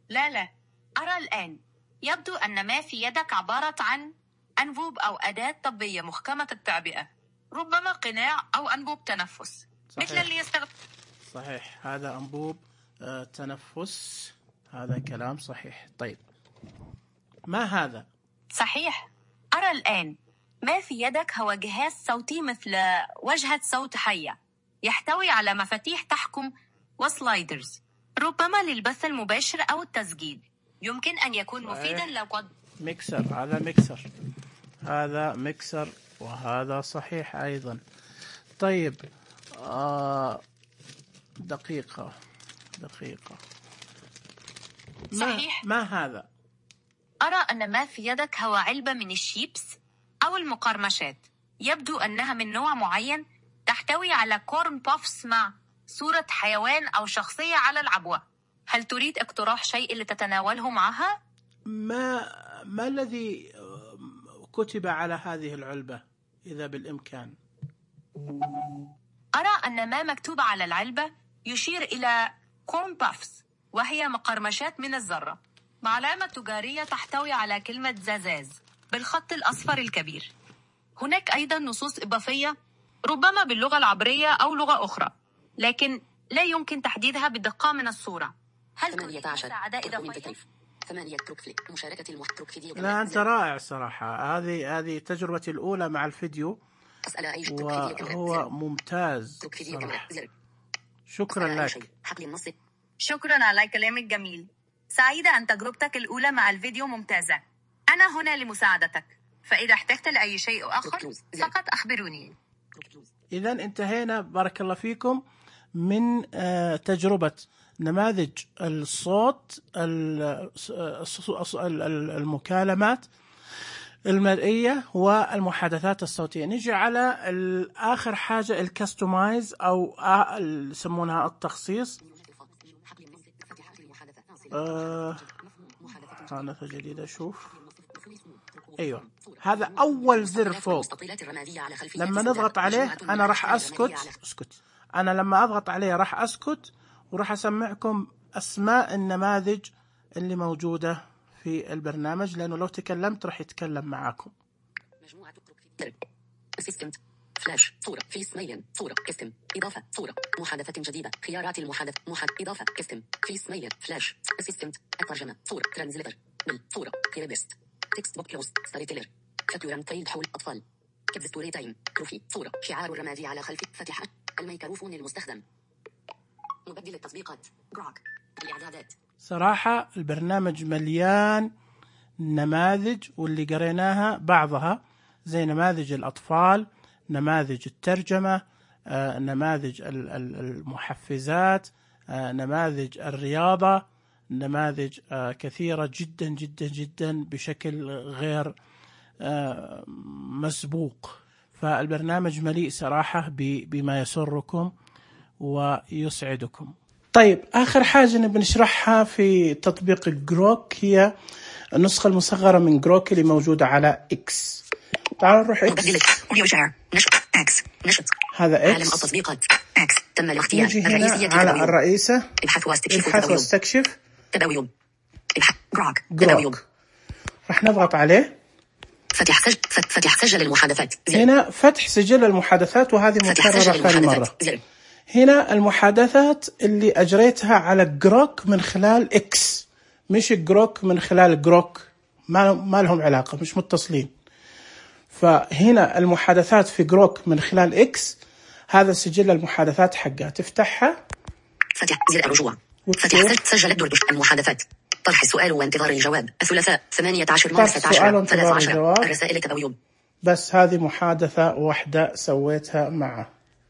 لا لا أرى الآن. يبدو أن ما في يدك عبارة عن أنبوب أو أداة طبية محكمة التعبئة، ربما قناع أو أنبوب تنفس. صحيح. مثل اللي يستخدم. صحيح، هذا أنبوب آه تنفس، هذا كلام صحيح. طيب ما هذا؟ صحيح. أرى الآن ما في يدك هو جهاز صوتي مثل وجهة صوت حية، يحتوي على مفاتيح تحكم وسلايدرز، ربما للبث المباشر أو التسجيل. يمكن أن يكون صحيح. مفيدا لو قد ميكسر، هذا ميكسر، هذا ميكسر، وهذا صحيح أيضا. طيب آه دقيقة دقيقة ما صحيح. ما هذا؟ أرى أن ما في يدك هو علبة من الشيبس أو المقرمشات، يبدو أنها من نوع معين، تحتوي على كورن بوفس مع صورة حيوان أو شخصية على العبوة. هل تريد اقتراح شيء لتتناوله معها؟ ما ما الذي كتب على هذه العلبة إذا بالإمكان؟ أرى أن ما مكتوب على العلبة يشير إلى كورن بوفس، وهي مقرمشات من الذرة مع علامة تجارية تحتوي على كلمة زازاز بالخط الأصفر الكبير. هناك أيضا نصوص إضافية ربما باللغة العبرية أو لغة أخرى، لكن لا يمكن تحديدها بدقة من الصورة. هل تريد مساعدة إضافية؟ ثمانية تروك مشاركة المحترك فيديو. لا أنت رائع صراحة، هذه هذه تجربتي الأولى مع الفيديو وهو ممتاز صراحة. شكرا لك. شكرا على كلامك جميل. سعيدة أن تجربتك الأولى مع الفيديو ممتازة. أنا هنا لمساعدتك، فإذا احتجت لأي شيء آخر فقط أخبروني. إذا انتهينا بارك الله فيكم من تجربة نماذج الصوت، المكالمات المرئية والمحادثات الصوتية. نجي على آخر حاجة الكستومايز أو يسمونها التخصيص. آه محادثة جديدة. شوف أيوة، هذا أول زر فوق، لما نضغط عليه أنا راح أسكت أسكت أنا لما أضغط عليه راح أسكت وراح أسمعكم أسماء النماذج اللي موجودة في البرنامج، لأنه لو تكلمت راح يتكلم معاكم. مجموعة أسيستنت فلاش صورة فيس ميل صورة كستم إضافة صورة محادثة جديدة خيارات المحادثة محاد إضافة كستم فيس ميل فلاش أسيستنت الترجمة صورة ترانزليتر ميل صورة كيربست تكست بوك كلوز ستوري تيلر فتوران تريد حول أطفال كيدز ستوري تايم كروفي صورة شعار الرمادي على خلف فتحة الميكروفون المستخدم مبدل التطبيقات جروك الإعدادات. صراحة البرنامج مليان نماذج، واللي قريناها بعضها زي نماذج الأطفال، نماذج الترجمة، آه، نماذج المحفزات، آه، نماذج الرياضة، نماذج آه، كثيرة جدا جدا جدا بشكل غير آه، مسبوق. فالبرنامج مليء صراحة بما يسركم ويسعدكم. طيب آخر حاجة نبي نشرحها في تطبيق جروك هي النسخة المصغرة من جروك اللي موجودة على إكس. تعالوا نروح إكس. إكس نشط. هذا إكس. عالم التطبيقات إكس تم الاختيار. الرئيسية على تباويب. الرئيسة. ابحث واستكشف. ابحث واستكشف. تباويب. ابحث جروك. جروك. راح نضغط عليه. فتح سجل فتح سجل المحادثات. هنا فتح سجل المحادثات، وهذه مكررة ثاني مرة. زر. هنا المحادثات اللي أجريتها على جروك من خلال إكس، مش جروك من خلال جروك، ما ما لهم علاقة، مش متصلين. فهنا المحادثات في جروك من خلال إكس، هذا سجل المحادثات حقها. تفتحها. فتح زر الرجوع. فتح سجل الدردش المحادثات. طرح السؤال وانتظار الجواب. الثلاثاء ثمانية عشر مارس عشرة ثلاثة عشر. الرسائل التباويب. بس هذه محادثة واحدة سويتها معه.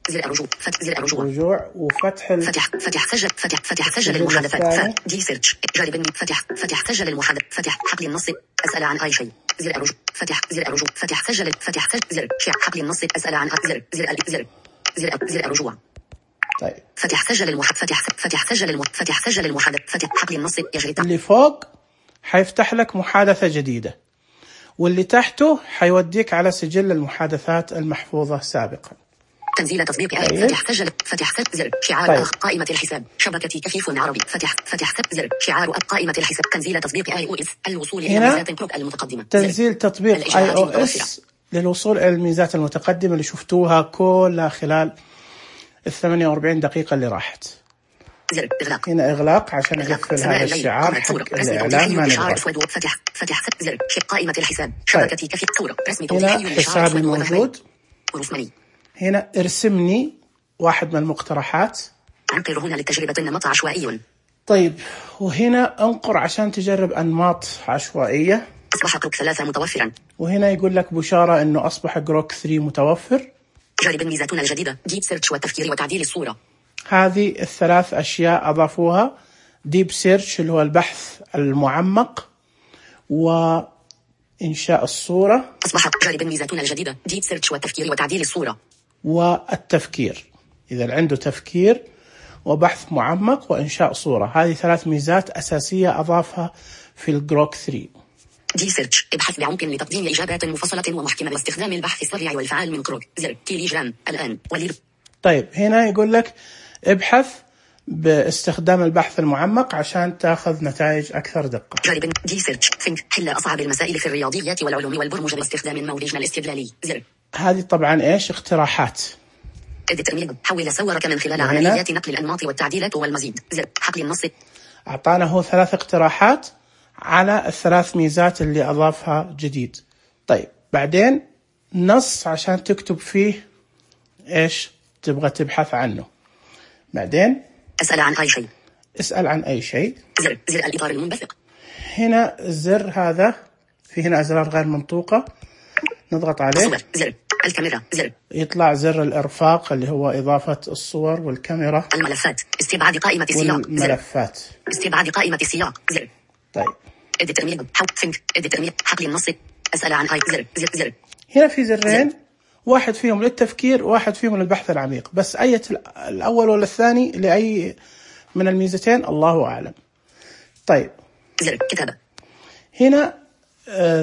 زر الرجوع. فتح زر الرجوع. رجوع وفتح ال... فتح فتح سجل فتح فتح سجل المحادثات. دي سيرش جارب فتح فتح سجل المحادث. فتح حقل النص. أسأل عن أي شيء. زر الرجوع. فتح زر الرجوع. فتح سجل فتح سجل زر شع حقل النص. أسأل عن زر زر زر زر زر الرجوع. طيب فتح سجل المحادث. فتح فتح سجل المحادث. فتح سجل المحادث. فتح حقل النص يجري. اللي فوق حيفتح لك محادثة جديدة، واللي تحته حيوديك على سجل المحادثات المحفوظة سابقا. تنزيل تطبيق آي فتح سجل فتح زر شعار طيب. قائمة الحساب شبكة كفيف عربي فتح فتح زر شعار قائمة الحساب تنزيل تطبيق آي أو إس الوصول إلى الميزات المتقدمة. تنزيل تطبيق آي أو إس للوصول إلى الميزات المتقدمة اللي شفتوها كلها خلال الثمانية وأربعين دقيقة اللي راحت. زر إغلاق. هنا إغلاق عشان أقفل هذا الشعار حق الإعلان ما نبغى. فتح فتح زر قائمة الحساب شبكة كفيف صورة رسم هنا حسابي موجود. رسمني. هنا ارسمني واحد من المقترحات. أنقر هنا للتجربة النمط عشوائي. طيب وهنا انقر عشان تجرب أنماط عشوائية. أصبح جروك ثلاثة متوفرا. وهنا يقول لك بشارة إنه أصبح جروك ثلاثة متوفر. جرب الميزاتنا الجديدة ديب سيرش والتفكير وتعديل الصورة. هذه الثلاث أشياء أضافوها. ديب سيرش اللي هو البحث المعمق وإنشاء الصورة. أصبح جرب الميزاتنا الجديدة ديب سيرش والتفكير وتعديل الصورة. والتفكير إذا عنده تفكير وبحث معمق وإنشاء صورة. هذه ثلاث ميزات أساسية أضافها في الجروك ثلاثة. دي سيرش ابحث بعمق لتقديم إجابات مفصلة ومحكمة باستخدام البحث السريع والفعال من كروك. زر تيليجرام الآن وليل. طيب هنا يقول لك ابحث باستخدام البحث المعمق عشان تاخذ نتائج أكثر دقة. جرب دي سيرش ثينك حل أصعب المسائل في الرياضيات والعلوم والبرمجة باستخدام نموذجنا الاستدلالي. زر هذه طبعا إيش اقتراحات. الترميم حول صورك من خلال عمليات نقل الأنماط والتعديلات والمزيد. زر حقل النص. أعطانا هو ثلاث اقتراحات على الثلاث ميزات اللي أضافها جديد. طيب بعدين نص عشان تكتب فيه إيش تبغى تبحث عنه. بعدين أسأل عن أي شيء. اسأل عن أي شيء. زر زر الإطار المنبثق. هنا الزر هذا في هنا أزرار غير منطوقة نضغط عليه. صور. زر الكاميرا. زر يطلع زر الإرفاق اللي هو إضافة الصور والكاميرا. الملفات استبعاد قائمة السياق. والملفات زر. استبعاد قائمة السياق. زر طيب الترميم حول ثينك الترميم حقل النص. أسأل عن أي زر زر زر. هنا في زرين زر. واحد فيهم للتفكير واحد فيهم للبحث العميق. بس أي الأول ولا الثاني لأي من الميزتين الله أعلم. طيب زر كتابة. هنا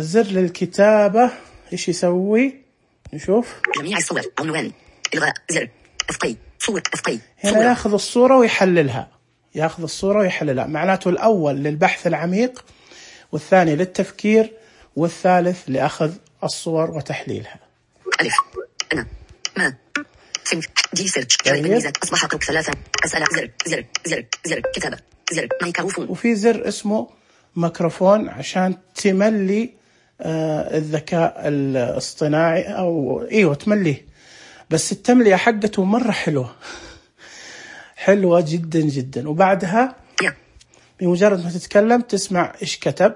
زر للكتابة إيش يسوي نشوف. جميع الصور عنوان إلغاء. زر أفقي صور أفقي. هنا ياخذ الصورة ويحللها. ياخذ الصورة ويحللها. معناته الأول للبحث العميق والثاني للتفكير والثالث لأخذ الصور وتحليلها. ألف أنا ما ثينك دي سيرش جرب الميزات أصبح جروك ثلاثة. أسأل زر زر زر زر كتابة. زر ميكروفون. وفي زر اسمه ميكروفون عشان تملي آه الذكاء الاصطناعي أو إيوه تمليه. بس التملية حقته مرة حلوة حلوة جدا جدا. وبعدها yeah. بمجرد ما تتكلم تسمع إيش كتب.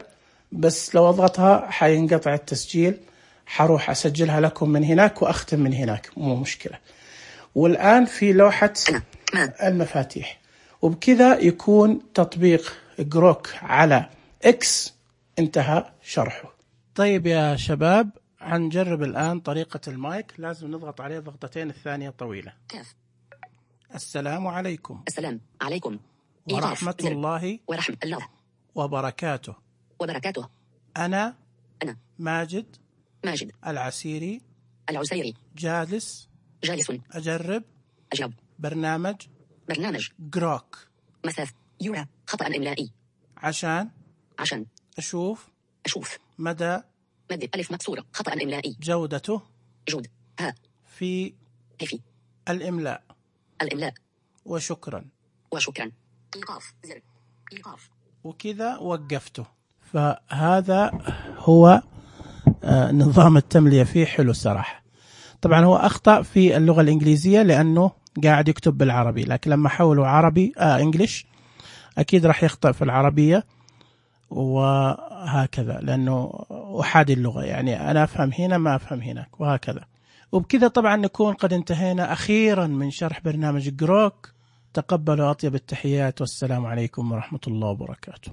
بس لو أضغطها حينقطع التسجيل. حروح أسجلها لكم من هناك وأختم من هناك مو مشكلة. والآن في لوحة المفاتيح. وبكذا يكون تطبيق جروك على إكس انتهى شرحه. طيب يا شباب هنجرب الآن طريقة المايك. لازم نضغط عليه ضغطتين الثانية طويلة. كاف. السلام عليكم. السلام عليكم ورحمة الله ورحمة الله وبركاته. وبركاته. أنا أنا ماجد ماجد العسيري العسيري جالس جالس أجرب أجرب برنامج برنامج جروك مثاث يورا خطأ إملائي عشان عشان أشوف أشوف مدى مد ألف مكسورة خطأ إملائي جودته جود ها في في الإملاء. الإملاء. وشكرا وشكرا. إيقاف زر إيقاف. وكذا وقفته. فهذا هو آه نظام التملية فيه حلو الصراحة. طبعا هو أخطأ في اللغة الإنجليزية لأنه قاعد يكتب بالعربي. لكن لما حوله عربي آه إنجليش أكيد راح يخطأ في العربية وهكذا لأنه أحادي اللغة. يعني أنا أفهم هنا ما أفهم هناك وهكذا. وبكذا طبعا نكون قد انتهينا أخيرا من شرح برنامج جروك. تقبلوا أطيب التحيات والسلام عليكم ورحمة الله وبركاته.